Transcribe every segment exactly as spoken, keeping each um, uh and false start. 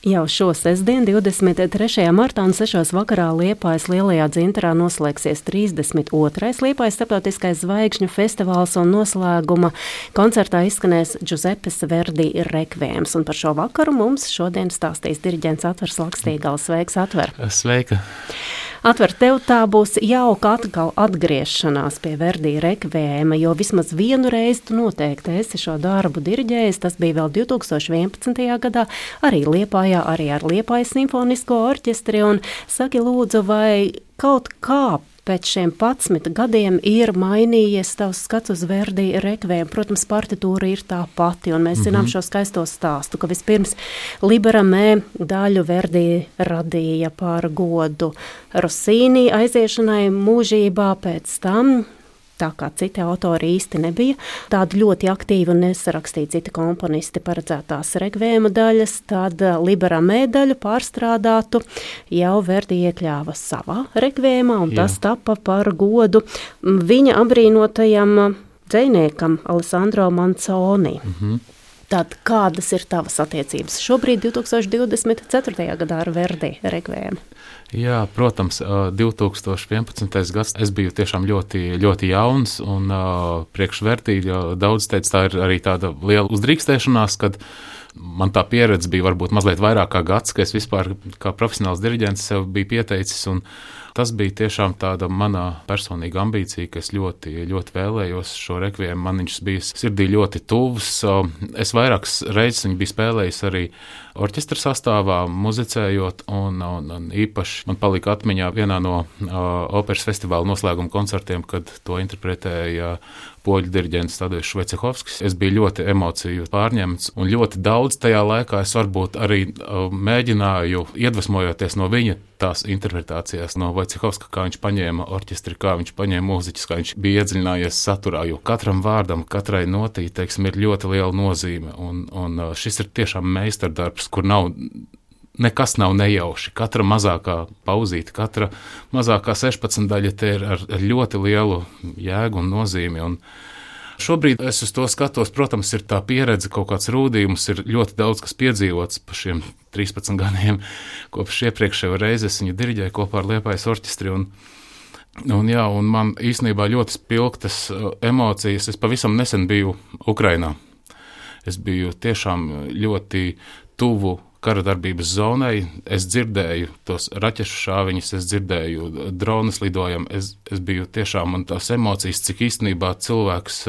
Jau šo sestdienu, divdesmit trešajā martā un sešos vakarā Liepājas Lielajā dzintarā noslēgsies trīsdesmit otrais Liepājas starptautiskais zvaigžņu festivāls un noslēguma koncertā izskanēs Giuseppes Verdi rekviems. Un par šo vakaru mums šodien stāstīs diriģents Atvers Lakstīgals. Sveiks, Atver! Sveika! Atver, tev tā būs jauka atkal atgriešanās pie Verdi rekviema, jo vismaz vienu reizi tu noteikti esi šo darbu diriģējis. Tas bija vēl divi tūkstoši vienpadsmitajā gadā, arī Liepājā, arī ar Liepājas simfonisko orķestri. Un saki lūdzu, vai kaut kā pēc šiem padsmit gadiem ir mainījies tavs skats uz Verdi rekviem? Protams, partitūra ir tā pati, un mēs zinām mm-hmm. šo skaisto stāstu, ka vispirms Libera Mē daļu Verdi radīja par godu Rossini aiziešanai mūžībā, pēc tam, tā kā citi autori īsti nebija, tādi ļoti aktīvi un nesarakstīja citi komponisti paredzētās rekviema daļas, tad Libera Mē daļu pārstrādātu jau Verdi iekļāva savā rekviemā, un Jā. Tas tapa par godu viņa apbrīnotajam dzejniekam Alessandro Manzoni. Mhm. Tad kādas ir tavas attiecības šobrīd divi tūkstoši divdesmit ceturtajā gadā ar Verdi rekviemu? Jā, protams, divi tūkstoši vienpadsmitais gads es biju tiešām ļoti, ļoti jauns, un priekš Verdi daudz teica, tā ir arī tāda liela uzdrīkstēšanās, kad man tā pieredze bija varbūt mazliet vairāk kā gads, ka es vispār kā profesionāls diriģents sev biju pieteicis, un tas bija tiešām tāda manā personīga ambīcija, ka es ļoti, ļoti vēlējos šo rekviemu. Man viņš bija sirdī ļoti tuvs. Es vairākas reizes viņu biju spēlējis arī orķestra sastāvā, muzicējot, un, un, un īpaši man palika atmiņā vienā no uh, operas festivāla noslēguma koncertiem, kad to interpretēja poļu diriģents Tadeusz Vojcehovskis. Es biju ļoti emociju pārņemts, un ļoti daudz tajā laikā es varbūt arī uh, mēģināju, iedvesmojoties no viņa tās interpretācijās, no Vojcehovska, kā viņš paņēma orķestri, kā viņš paņēma mūziķus, kā viņš bija iedziļinājies saturā, jo katram vārdam, katrai notī, teiksim, ir ļoti liela nozīme, un, un uh, šis ir tiešām meistardarbs, kur nav, nekas nav nejauši. Katra mazākā pauzīte, katra mazākā sešpadsmit daļa te ir ar, ar ļoti lielu jēgu un nozīmi. Un šobrīd es uz to skatos, protams, ir tā pieredze, kaut kāds rūdījums, ir ļoti daudz, kas piedzīvots pa šiem trīspadsmit gadiem, kopš iepriekšējo reizi es viņu diriģēju kopā ar Liepājas orķestri. Un, un, jā, un man īstenībā ļoti spilgtas emocijas. Es pavisam nesen biju Ukrainā. Es biju tiešām ļoti tuvu kara darbības zonai. Es dzirdēju tos raķešu šāviņus, es dzirdēju dronas lidojam. Es, es biju tiešām, man tās emocijas, cik īstenībā cilvēks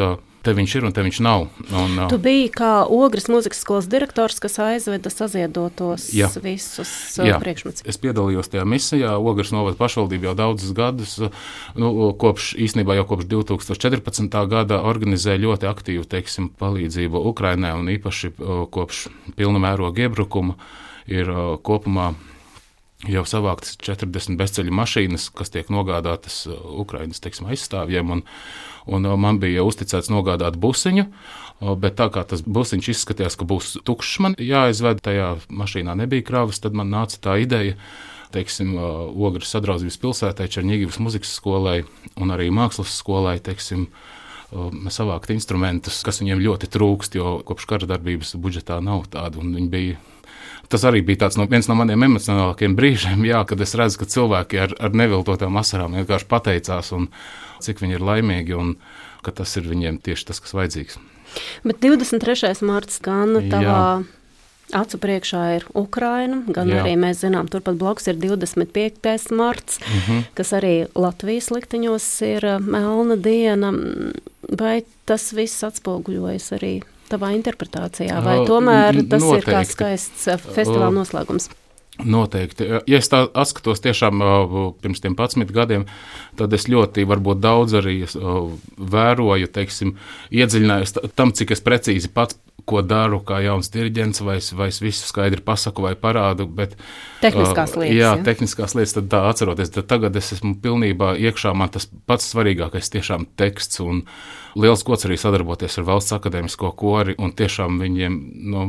te viņš ir un te viņš nav. Un, tu biji kā Ogres mūzikas skolas direktors, kas aizveda saziedotos jā. visus priekšmets. Es piedalījos tajā misijā. Ogres novada pašvaldība jau daudzus gadus, nu, kopš, īstenībā jau kopš divi tūkstoši četrpadsmitā gada organizē ļoti aktīvu, teiksim, palīdzību Ukrainai, un īpaši kopš pilna mēroga iebrukuma ir kopumā jau savāktas četrdesmit bezceļu mašīnas, kas tiek nogādātas Ukrainas, teiksim, aizstāvjiem, un, un man bija uzticēts nogādāt busiņu, bet tā kā tas busiņš izskatījās, ka būs tukšs man jāizved, tajā mašīnā nebija kravas, tad man nāca tā ideja, teiksim, Ogres sadraudzības pilsētai, Čerņigivas muzikas skolai un arī mākslas skolai, teiksim, savākt instrumentus, kas viņiem ļoti trūkst, jo kopš kara darbības budžetā nav tādu, un viņi bija. Tas arī bija tāds no, viens no maniem emocionālākiem brīžiem, jā, kad es redzu, ka cilvēki ar, ar neviltotām asarām vienkārši pateicās, un cik viņi ir laimīgi, un ka tas ir viņiem tieši tas, kas vajadzīgs. Bet divdesmit trešais marts gan tavā acu priekšā ir Ukraina, gan jā. Arī mēs zinām, turpat blakus ir divdesmit piektais marts, mm-hmm. kas arī Latvijas likteņos ir melna diena. Vai tas viss atspoguļojas arī tavā interpretācijā, vai tomēr tas Noteikti. Ir kā skaists festivāla noslēgums? Noteikti. Ja es tā atskatos tiešām pirms tiem padsmit gadiem, tad es ļoti varbūt daudz arī vēroju, teiksim, iedziļinājos tam, cik es precīzi pats, ko daru kā jauns diriģents, vai es, vai es visu skaidri pasaku vai parādu, bet tehniskās lietas. Jā, ja? tehniskās lietas, tad tā atceroties, tad tagad es esmu pilnībā iekšā, man tas pats svarīgākais tiešām teksts, un liels gods arī sadarboties ar Valsts akadēmisko kori, un tiešām viņiem, nu,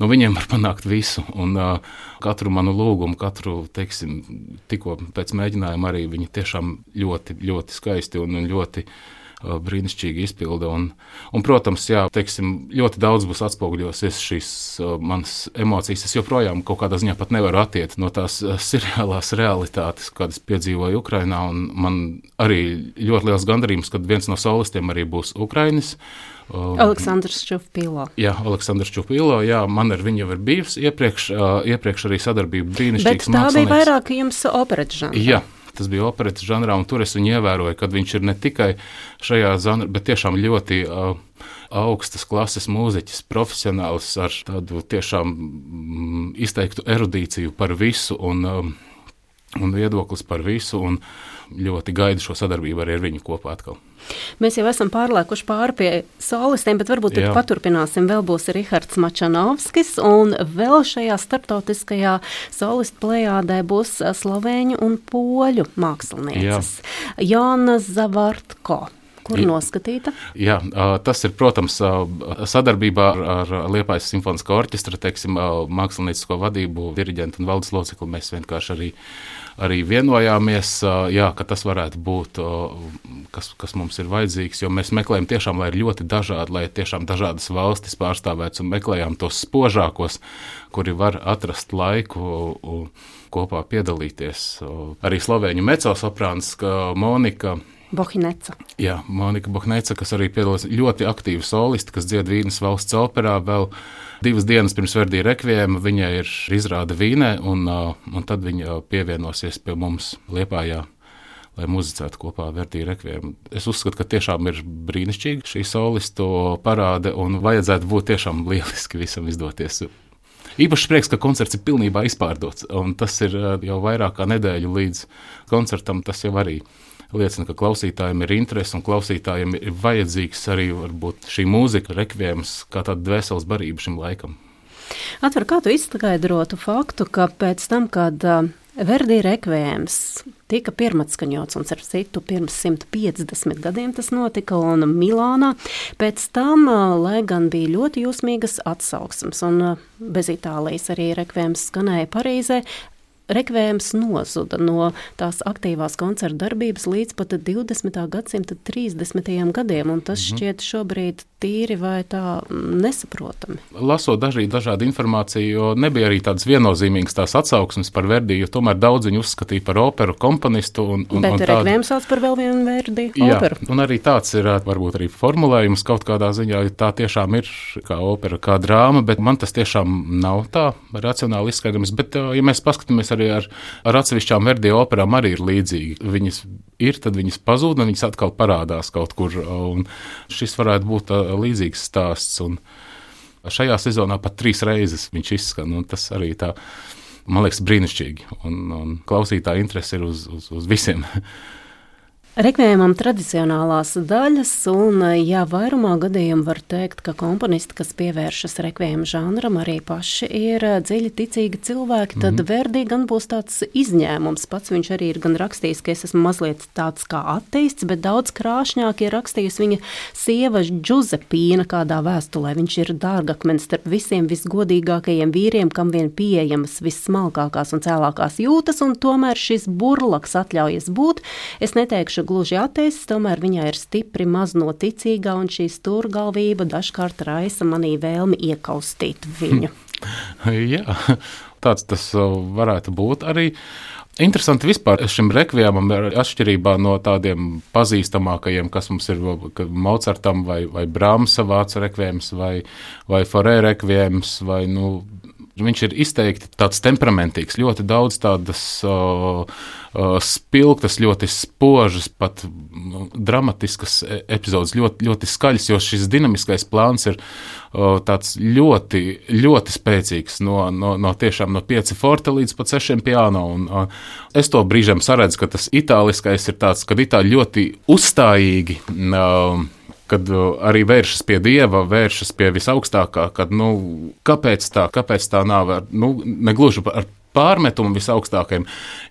no viņiem var panākt visu, un uh, katru manu lūgumu, katru, teiksim, tikko pēc mēģinājuma arī viņi tiešām ļoti, ļoti skaisti un ļoti brīnišķīga izpilde. Un, un, protams, jā, teiksim, ļoti daudz būs atspoguļosies šīs uh, manas emocijas. Es joprojām kaut kādā ziņā pat nevaru attiet no tās uh, seriālās realitātes, kādas piedzīvoju Ukrainā. Un man arī ļoti liels gandarījums, kad viens no solistiem arī būs Ukrainis. Uh, Aleksandrs Čupilo. Jā, Aleksandrs Čupilo, jā, man ar viņu jau ir bijusi iepriekš, uh, iepriekš arī sadarbība brīnišķīgs mākslinieks. Bet tā bija vairāk jums operetas žanrā. Jā. Tas bija operetas žanrā, un tur es viņu ievēroju, kad viņš ir ne tikai šajā žanrā, bet tiešām ļoti uh, augstas klases mūziķis, profesionāls ar tādu tiešām mm, izteiktu erudīciju par visu un, um, un viedoklis par visu, un ļoti gaidu šo sadarbību arī ar viņu kopā atkal. Mēs jau esam pārlēkuši pāri pie solistiem, bet varbūt tad paturpināsim. Vēl būs Rihards Mačanovskis, un vēl šajā starptautiskajā solistu plejādē būs slovēņu un poļu mākslinieces. Jāna Zavartko. Kur noskatīta? Jā, tas ir, protams, sadarbībā ar Liepājas simfonisko orķestra, teiksim, māksliniecisko vadību, diriģentu un valdes locekli. Mēs vienkārši arī, arī vienojāmies, jā, ka tas varētu būt, kas, kas mums ir vajadzīgs, jo mēs meklējam tiešām, lai ir ļoti dažādi, lai tiešām dažādas valstis pārstāvēts, un meklējām tos spožākos, kuri var atrast laiku kopā piedalīties. Arī slovēņu mecosoprāns Monika Bohneca. Jā, Monika Bohneca, kas arī piedalās ļoti aktīvi solisti, kas dzied Vīnes valsts operā. Vēl divas dienas pirms Verdi rekviema viņai ir izrāde Vīnē, un, un tad viņa pievienosies pie mums Liepājā, lai muzicētu kopā Verdi rekviemu. Es uzskatu, ka tiešām ir brīnišķīgi šī solistu parāde, un vajadzētu būt tiešām lieliski visam izdoties. Īpaši prieks, ka koncerts ir pilnībā izpārdots, un tas ir jau vairāk kā nedēļu līdz koncertam. Tas jau arī liecina, ka klausītājiem ir interese, un klausītājiem ir vajadzīgs arī varbūt šī mūzika, rekviems, kā tāda dvēseles barība šim laikam. Atver, kā tu izskaidrotu faktu, ka pēc tam, kad uh, Verdi rekviems tika pirmatskaņots, un ar citu pirms simt piecdesmit gadiem tas notika, un Milānā, pēc tam, uh, lai gan bija ļoti jūsmīgas atsauksmes, un uh, bez Itālijas arī rekviems skanēja Parīzē, rekvējums nozuda no tās aktīvās koncerta darbības līdz pat divdesmitā gadsimta trīsdesmitajiem gadiem, un tas mm-hmm. šķiet šobrīd tīri vai tā nesaprotami. Lasot dažī, dažādu informāciju, jo nebija arī tādas viennozīmīgas tās atsauksmes par Verdi, jo tomēr daudz viņu uzskatīja par operu komponistu. Un, un, Bet un rekvējums sauc par vēl vienu Verdi operu. Jā, un arī tāds ir varbūt arī formulējums kaut kādā ziņā, tā tiešām ir kā opera, kā drāma, bet man tas tiešām nav tā racionāli izskaidrojums. Bet, ja mēs paskatāmies arī ar, ar atsevišķām Verdi operām, arī ir līdzīgi. Viņas ir, tad viņas pazūd, un viņas atkal parādās kaut kur, un šis varētu būt līdzīgs stāsts, un šajā sezonā pat trīs reizes viņš izskan, un tas arī tā, man liekas, brīnišķīgi, un, un klausītāja interese ir uz, uz, uz visiem. Rekvējumam tradicionālās daļas, un jā, vairumā gadījumu var teikt, ka komponisti, kas pievēršas rekvējuma žanram, arī paši ir dziļi ticīgi cilvēki, tad mm-hmm. Verdi gan būs tāds izņēmums. Pats viņš arī ir gan rakstījis, ka es esmu mazliet tāds kā ateists, bet daudz krāšņāk ir rakstījusi viņa sieva Džuzepīna kādā vēstulē. Viņš ir dārgakmenis starp visiem visgodīgākajiem vīriem, kam vien pieejamas vissmalkākās un cēlākās jūtas, un tomēr šis burlaks atļaujas būt. Es neteikšu gluži ateists, tomēr viņā ir stipri maznoticīgā, un šī stūrgalvība dažkārt raisa manī vēlmi iekaustīt viņu. Jā, tāds tas varētu būt arī. Interesanti vispār šim rekviemam ir atšķirībā no tādiem pazīstamākajiem, kas mums ir Mocartam vai, vai Brahmsa vācu rekviems vai, vai Forē rekviems vai, nu, viņš ir izteikti tāds temperamentīgs, ļoti daudz tādas uh, uh, spilgtas, ļoti spožas, pat uh, dramatiskas epizodes, ļoti, ļoti skaļas, jo šis dinamiskais plāns ir uh, tāds ļoti, ļoti spēcīgs no, no, no tiešām no pieci forte līdz pat sešiem piano. Un, uh, es to brīžiem saredzu, ka tas itāliskais ir tāds, kad itāļi ļoti uzstājīgi uh, kad arī vēršas pie Dieva, vēršas pie visaugstākā, kad, nu, kāpēc tā, kāpēc tā nav, nu, negluži ar pārmetumu visaugstākajiem.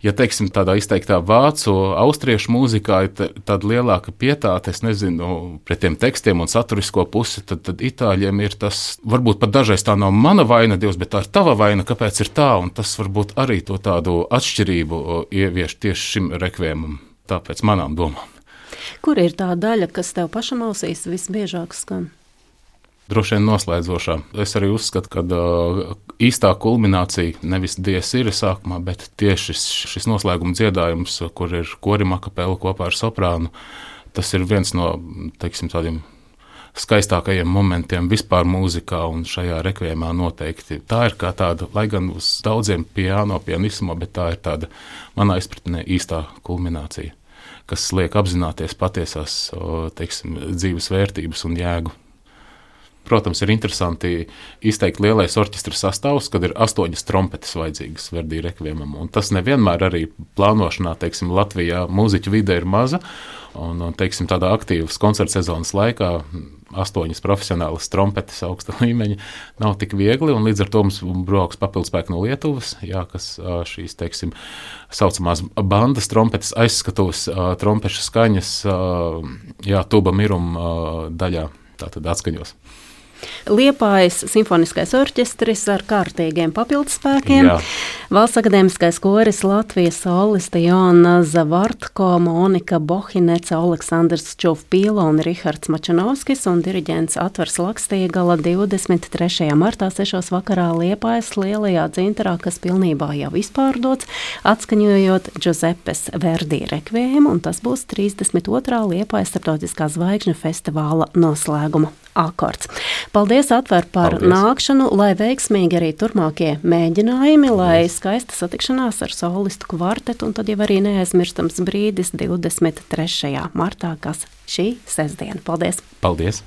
Ja, teiksim, tādā izteiktā vācu, austriešu mūzikā ir tāda lielāka pietāte, es nezinu, pret tiem tekstiem un saturisko pusi, tad, tad itāļiem ir tas, varbūt pat dažreiz tā nav mana vaina, Dievs, bet tā ir tava vaina, kāpēc ir tā, un tas varbūt arī to tādu atšķirību ievieš tieši šim rekviemam, tāpēc manām domām. Kur ir tā daļa, kas tev pašam ausīs visbiežāk skan? Droši vien noslēdzošā. Es arī uzskatu, ka uh, īstā kulminācija nevis dies ir sākumā, bet tieši šis, šis noslēguma dziedājums, kur ir korim akapela kopā ar soprānu, tas ir viens no, teiksim, tādiem skaistākajiem momentiem vispār mūzikā un šajā rekviemā noteikti. Tā ir kā tāda, lai gan uz daudziem piano, pianismo, bet tā ir tāda manā izpratnē īstā kulminācija, kas liek apzināties patiesās, teiksim, dzīves vērtības un jēgu. Protams, ir interesanti izteikt lielais orķestra sastāvs, kad ir astoņas trompetes vajadzīgas Verdi rekviemam. Un tas nevienmēr arī plānošanā, teiksim, Latvijā mūziķu vide ir maza. Un, teiksim, tādā aktīvas koncerta sezonas laikā astoņas profesionālas trompetes augsta līmeņa nav tik viegli, un līdz ar to mums brauks papildspēki no Lietuvas, jā, kas šīs, teiksim, saucamās bandas trompetes aizskatuves trompešu skaņas, jā, tuba mirum daļā, tātad atskaņos. Liepājas simfoniskais orķestris ar kārtīgiem papildspēkiem. Jā. Valsts akadēmiskais koris Latvijas solisti Joanna Zavartko, Monika Bohineca, Aleksandrs Čovpīla un Rihards Mačanovskis un diriģents Atvars Lakstīgala divdesmit trešajā martā sešos vakarā Liepājas lielajā dzintarā, kas pilnībā jau izpārdots, atskaņojot Giuseppes Verdi rekviēmu, un tas būs trīsdesmit otrā Liepājas starptautiskā zvaigžņu festivāla noslēguma akords. Paldies, Atver, par Paldies. Nākšanu, lai veiksmīgi arī turpmākie mēģinājumi, lai skaista satikšanās ar solistu kvartetu, un tad jau arī neaizmirstams brīdis divdesmit trešajā martā, kas šī sestdiena. Paldies! Paldies!